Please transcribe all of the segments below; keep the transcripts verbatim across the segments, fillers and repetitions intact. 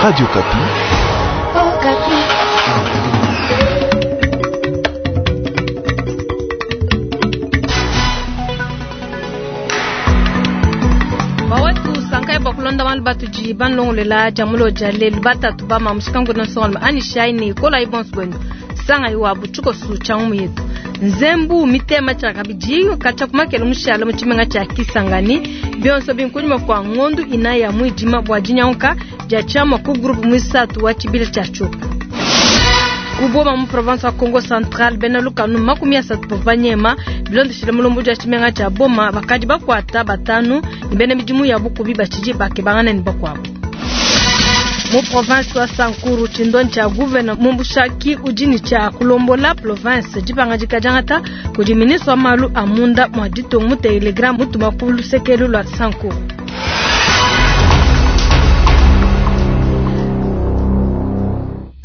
Radio Okapi. Oh, Okapi. Bawetu sankai bakulonda malu batudi banlongolela jamulo jalelu batatu bama mushikangu nsongalma ani shaini kola ibonso bwenu sanga iwa buchuko su changu yetu nzembu mitema cha kabidi kacha kumakela mushala muchimenga cha Kisangani byonso binkunyuma kwa ngondu inaya mwijima bwa jinyanka ja chama ku groupe mwisatu wa chibila cha chupa kuboma mu province wa Congo Central bena lukanu makumi asatu bavanyema bilondeshele mulombo ja chimenga cha boma bakadi bakwata batanu ni bena midimu ya bukubi bachiji bakebangana ni bakwabo mu province wa Sankuru chindoni cha gouverneur Mumbushaki ujini cha kulombola province jipanga jikajangata kudi ministre wa malu amunda mwa ditongo mu telegram mutuma ku lusekelu lwa Sankuru.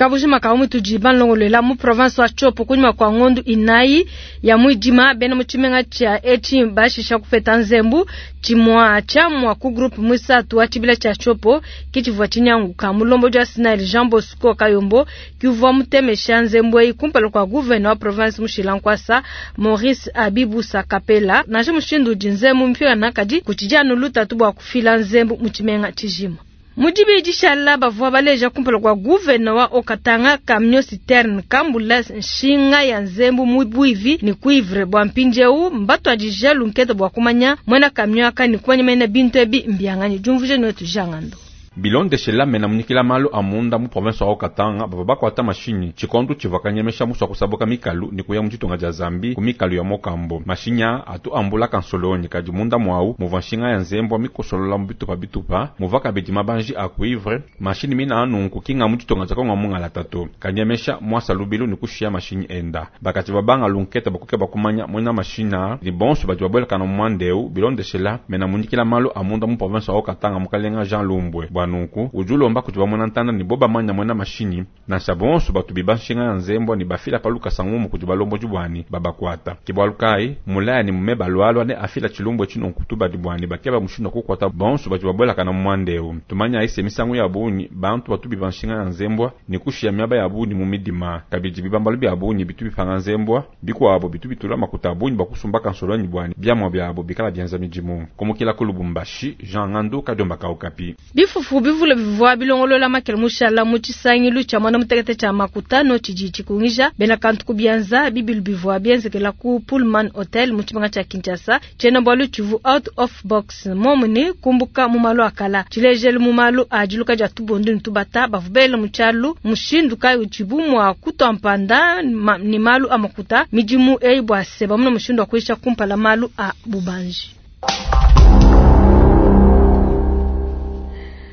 Kabujima kaumu tujiba nlongolela mu province wa Tshopo kunyuma kwa ngondu inayi ya mwijima bena muchimenga cha echi bashisha kupeta nzembu chimwa chamwa ku groupe mwisatu wa chibila cha Tshopo kichivwa chinyanguka mulombo jwa Sinai Jean Bosco Kayombo kivwa mutemesha nzembu eyi kumpala kwa gouverneur wa province Mushila Nkwasa Maurice Abibusa Kapela naje mushindu jinzembu mpira nakadi kuchijanu lutatu bwa kufila nzembu muchimenga chijima mudibi dishala bavua baleja kumpala kua guvena wa okatanga camion citerne kambula nshinga ya nzembu mu buivi ni cuivre bua mpindieu mbatuadija lunketa bua kumanya muena camion aka ni kumanya mena bintu ebi mbianganyi diumvuija nuetu jangando bilondeshela mena munyikila malu amunda mu province wa Katanga bava bakwata mashinyi chikondo chivakanyemesha muswa kusabuka mikalu ni kuya muchitonga ja Zambi ku mikalu ya Mokambo mashinya atu ambula kansolonyi kadi munda mwau muva nshinga ya nzembwa mikosolola mu bitupa bitupa muva kabidi mabanji a cuivre mashini mina anunku kinga muchitonga ja Kongo mungala tatu kanyemesha mwasa lubilu ni kushia mashinyi enda bakati babanga lunketa bakuke bakumanya mwena mashina ni bonso badi babwelekana mu mwandeu bilondeshela mena munyikila malu amunda mu province wa Katanga mukalenga Jean Lumbwe nunku ujulomba kuti bamwena ntanda ni bo bamanya mwena mashinyi nansha bonso batu biba nshinga ya nzembwa ni bafila paluka sangumu kuti balombo bwani babakwata kibwalukai mulaya ni mume balwalwa ne afila chilumbwe chinonku tubadi bwani bakeba mushindu kukwata bonso batu babwelaka na mwandeu tumanya aise misangu ya bunyi bantu batu biba nshinga ya nzembwa ni kushiya miaba ya bunyi mu midima kabidi bibambalu bya bunyi bitu bipanga nzembwa bikwabo bitu bitula makuta abunyi bakusumbaka nsolwanyi bwani byamwa byabo bikala byanza mijimu komukila ku Lubumbashi Jean Ngandu Kadiomba ka Okapi bifufu bivule bivua bilongolola makele mushala mu tshisangilu tshia mwana mutekete tshia makutano tshidi tshikungija bena kantu kubianza bibilu bivua bienzekela ku Pullman Hotel mu tshibanga tshia Kinshasa tshiena bualu tshivu out of box momuni kumbuka mu malu akala tshilejelu mu malu a diluka dia tubondu ne tubata bavubele mu tshialu mushindu kayi utshibu mua kutua mpanda ma, ni malu a makuta midimu eyi bua se bamuna mushindu wa kuisha kumpala malu a bubanji.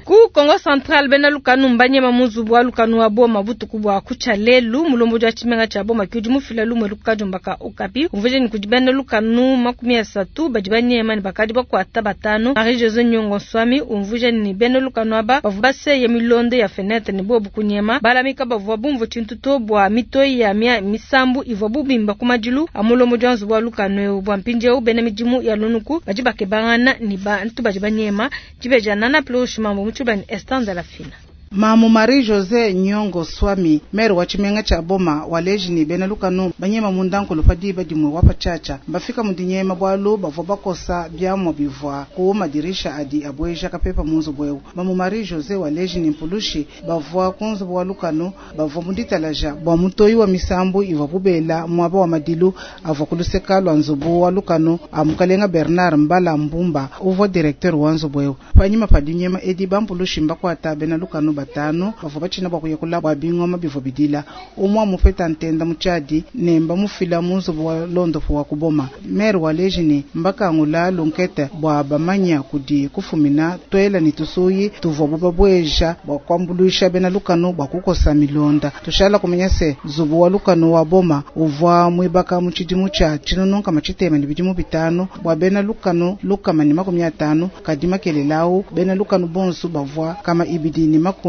Ku Congo Central bena lukanu mbanyema muzubu wa lukanu wa boma butuku bwa kucha lelu mulombo jwa chimenga cha boma kyudi mufila lumwe lukajombaka Okapi umvuje ni kudi bena lukanu makumi asatu badi banyema ni bakadi bakwata batanu Marie Jose Nyongo Nswami umvuje ni bena lukanu aba bavu baseye milondo ya fenêtre ni bobu kunyema balamika bavua bumvu chintuto bwa mitoi ya mia misambu ivwa bubimba kumadilu amulombo jwa nzubu wa lukanu bwa mpindieu bena midimu ya lunuku badi bakebangana ni bantu badi banyema dibeja nana plush mambo muchubani Esther la fina Mamu Marie Jose Nyongo Swami mere wa tshimenga tshia Boma waleji ni bena lukanu banyema mundankulu padiba dimwe wa patshatsha bafika mudinyema bwalu bavua bakosa biamwa bivua ku madirisha adi abweja kapepa munzubu ewu Mamu Marie Jose waleji ni mpulushi bavua kunzubu wa lukanu bavua muditalaja bua mutoyi wa misambu ivua bubela muaba wa madilu avua kuluseka lua nzubu wa lukanu a mukalenga Bernard Mbala Mbumba uvua directeur wa nzubu ewu panyima pa dinyema edi bampulushi mbakwata bena lukanu batano bavua batshina bua kuyekula bua bingoma bivua bidila umwa mupeta ntenda mutshadi ne mbamufila mu nzubu wa londopo wa kuboma mere waleji ni mbakangula lunkete bua bamanya kudi kufumina twela ni tusuyi tuvua bubabweja bua kuambuluisha bena lukanu bua kukosa milonda tushala kumenya se nzubu wa lukanu wa boma uvua muibaka mu tshidimu tshia tshinununka matshitema ne bidimu bitanu bua bena lukanu lukama ne makumi atanu kadi makelelawu bena lukanu bonso bavua kama ibidi ne makumi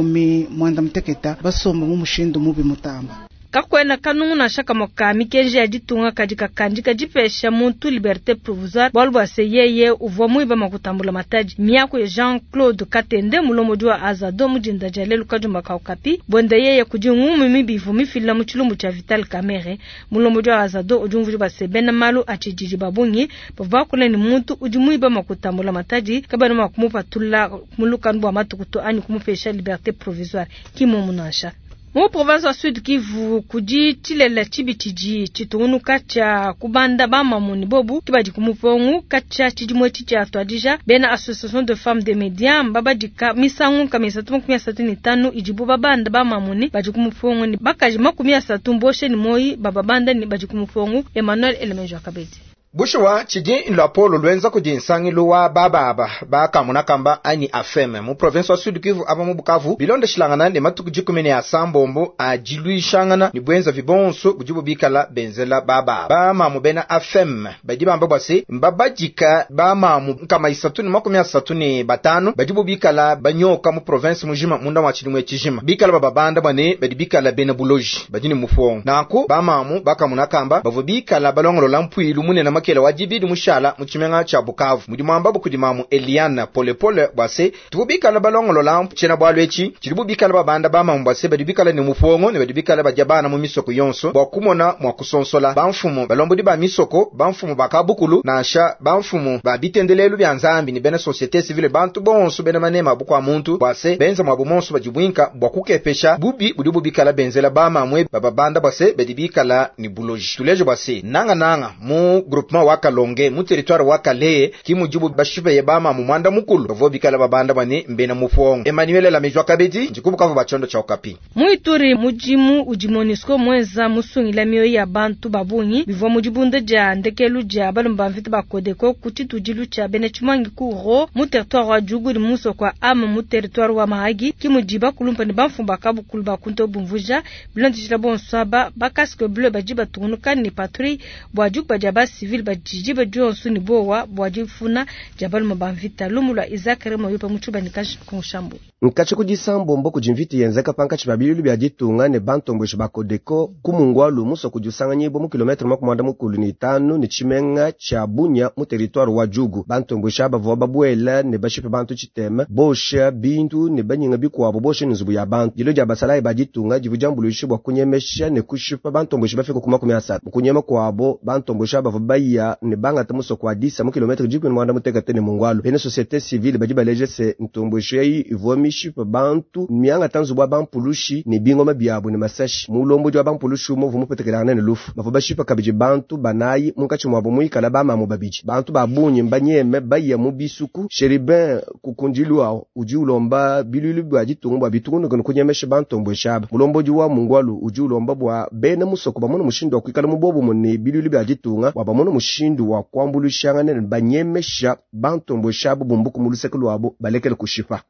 mwanda muteketa basomba mu mushindu mubi mutamba. Kakuena kanungu nansha kamue ka mikenji ya ditunga kadi kakandika dipesha muntu liberté provisoire bualu bua se yeye uvua muiba makuta a mbulamatadi. Miaku ya Jean Claude Katende mulombodi wa Azado mu dinda dia lelu kadiomba ka Okapi buenda yeye kudi ngumu mibi ivua mifila mu tshilumbu tshia Vital Kamerhe. Mulombodi wa Azado udi umvuija bua se bena malu a tshididi ba bungi bavua bakula ne muntu udi muiba makuta a mbulamatadi kabena mua kumupatula mu lukanu bua matuku to anyi kumupesha liberté provisoire. Ki mmuomu nansha. Mu province wa Sud Kivu kudi tshilele tshibi tshidi tshitungunuka tshia kubanda bamamu ne bobu ke badi ku mupongu katshia tshidimu etshi tshiatuadija. Bena Association de Femmes de Medias mbabadika misangu nkama isatu makumi asatu ne itanu idibu babanda bamamu ne badi ku mupongu ne bakaji makumi asatu mboshe ne moyi bababanda ne badi ku mupongu. Emmanuel Elemejo Akabedi. Bushuwa tshidi luapolo lwenza kudi nsangilu wa bababa bakamuna kamba anyi AFEM mu province wa Sud Kivu aba mu Bukavu bilondeshilangana ne matuku dikumi ne asambombo a diluishangana ne bwenza vibonso budi bubikala benzela bababa bamamu bena AFEM badi bamba bua se mbabadika bamamu nkama isatu ne makumi asatu ne batanu badi bubikala banyoka mu province mujima munda wa tshidimu tshijima bikala bababanda bua ne badi bikala bena buloji badi ne mufongo nanku bamamu bakamuna kamba bavua bikala balongolola mpuilu munene makela wa dibidi mushala mu tshimenga tshia Bukavu mudi muamba kudi mamu Eliana Polepole bua se tuvu bikala balongolola tshiena bualu etshi tshidi bubikala babanda bamamu bua se badi bikala ne mufongo ne badi bikala badia bana mu misoko yonso bua kumona mua kusonsola bamfumu balombodi ba misoko bamfumu ba kabukulu nansha bamfumu ba bitendelelu bia nzambi ne bena société civile bantu bonso bena manema bukua muntu bua se benza muabu monso badi buinka bua kukepesha bubi budi bubikala benzela bamamue bababanda bua se badi bikala ne buloji tuleje bua se nangananga mu groupement wa Kalonge mu territoire wa Kalehe ki mudibu bashipeye bamamu mwanda mukulu bavua bikala babanda bane mbena mufongo Emmanuel Lamejwa Kabedi ndikubukavu ba tshondo tsha Okapi. Mu Ituri mudimu udi MONUSCO mwenza musungila mioyo ya bantu babungi bivua mu dibunda dia ndekelu dia balomba mvita ba Codeco ku tshitudilu tshia bena Tshimangi ku Ro mu territoire wa Djugu ne musoko wa Am mu territoire wa Mahagi ki mudi bakulumpa ne bamfumu ba kabukulu ba kunto bumvuja bilondeshila bonso aba ba casque bleu badi batungunuka ne patrouille bua dikuba dia ba civil badidi badionso ne bowa bua difuna dia balomba ba mvita. Lumu lua Isaac Remo yopa mu tshuba ne kashi konshambo. Nkachi kudisambombo kudi mvita yenzeka pankachi babililu bya ditunga ne bantombweshi ba Codeco ku mungwalu muso kudi usanganyibwa mu kilometre makumi mwanda mukulu ne itanu ne tshimenga tsha Bunia mu territoire wa Djugu. Bantombweshi aba bavua babuela ne bashipe bantu tshitema bosha bintu ne banyinga bikuabo bosha ne nzubu ya bantu. Dilo dia basalayi ba ditunga divu diambuluisha bua kunyemesha ne kushipa bantombweshi bafika ku makumi asatu. Mu kunyema kuabo bantombweshi aba bavua baya ne bangata musoko wa Disa mu kilometre dikumi ne mwanda mutekete ne mungwalu. Bena société civile badi baleje se ntombweshi eyi ivua mishipe bantu miangata nzubu wa bampulushi ne bingoma biabo ne masashi. Mulombodi wa bampulushi umwe uvua mupetekelangana ne lufu. Bavua bashipa kabidi bantu banayi munkatshi muabo muikala bamamu babidi. Bantu ba bungi mbanyeme baya mu bisuku. Cherubin Kukundilwa udi ulomba bilulu bia ditunga bua bitungunuka ne kunyemesha bantombweshi aba. Mulombodi wa mungwalu udi ulomba bua bena musoko bamone mushindu wa kuikala mu bobumu ne bilulu bia ditunga bua bamone mushindu wa kuambuluishangana ne banyemesha bantombweshi abo bumbuku mu luseke luabo balekele kushipa.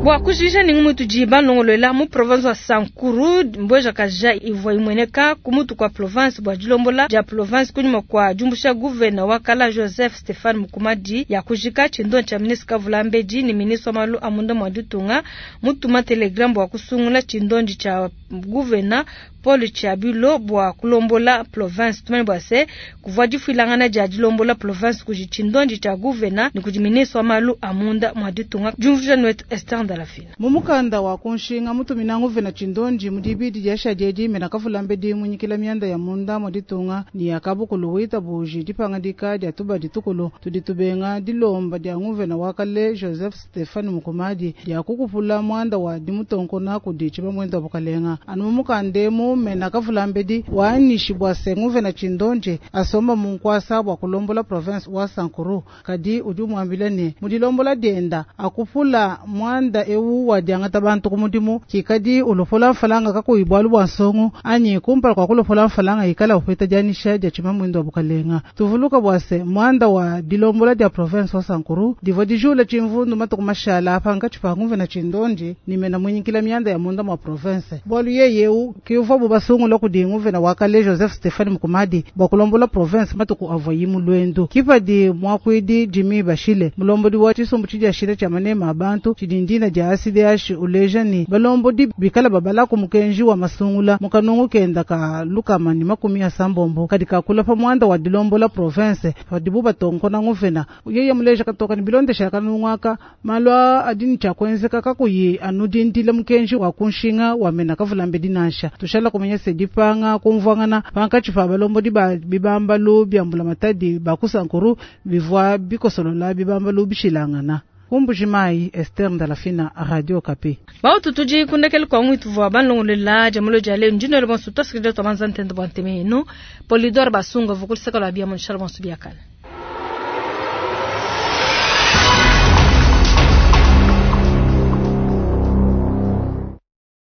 Bua kujija ni ngumu tudi balongolola mu province wa Sankuru mbweja kaja ivua imweneka ku mutu kwa province bua dilombola dia province kunyuma kwa diumbusha gouverneur wa kala Joseph Stefan Mukumadi ya kujika tshindo tsha ministre Kavulambedi ni ministre wa malu a munda mua ditunga mutuma telegram bua kusungula tshindondi tsha gouverneur Paul Tshiabilo bua kulombola province. Tumanye bua se kuvua difuilangana dia dilombola province kudi tshindondi tsha gouverneur ni kudi ministre wa malu a munda mua ditunga. Diumvuija netu Esther Ndalafina. Mu mukanda wa kunshinga mutumina nguvena tshindondi mu dibidi dia shadiedi mena Kavulambedi munyikila mianda ya munda mua ditunga ni ya kabukulu wita buji dipangadika dia tuba ditukulu tudi tubenga dilomba dia nguvena wa kale Joseph Stefan Mukumadi dia kukupula muanda wa dimutonkona kudi tshibamwenda wa bukalenga. Anu mu mukanda emu mena Kavulambedi waanishi bua se nguvena tshindondi asomba mu nkuasa bua kulombola province wa Sankuru kadi udi umuambila ne mu dilombola dienda akupula muanda ewu wa diangata bantu ku mudimu kikadi ulopola mfalanga kakuyi bualu bua nsongo anyi kumpala kua kulopola mfalanga ikala upeta dianisha dia tshimamwendo wa bukalenga. Tuvuluka bua se muanda wa dilombola dia province wa Sankuru divua dijula tshimvundu matuku mashala apa nkatshi pa nguvena tshindondi ni mena munyikila mianda ya munda mua province bualu yeye eu kiuvua Uvuabu basungula kudi nguvena wa kale Joseph Stephane Mukumadi bua kulombola province matuku avuayi mu luendu. Kipadi muakuidi Jimmy Bashile mulombodi wa tshisumbu tshidiashila tshia manema a bantu tshidi ndina dia A C D H uleja ni balombodi bikala babala ku mukenji wa masungula mu kanungu kenda ka lukama ni makumi asambombo kadi kakula pa muanda wa dilombola province padibu batonkona nguvena yeye muleja katoka ni bilondesha kanungu aka malu adi ni tshia kuenzeka kakuyi anu dindila mukenji wa kunshinga wa mena kavulambe dinansha tushala kumenya se dipanga kumvuangana pankatshi pa balombodi ba bibambalu bia mbulamatadi bakusankuru bivua bikosolola bibambalu bishilangana. Ku Mbuji-Mayi, Esther Ndalafina, Radio Okapi. Bautu tudi kundekele kwa ngwitu vwa banlongolela jamulo jale ndino le bonso tosikide to manza ntende bwa ntemeno Polidor Basunga vukulisaka lwa bia mon shalom biakana.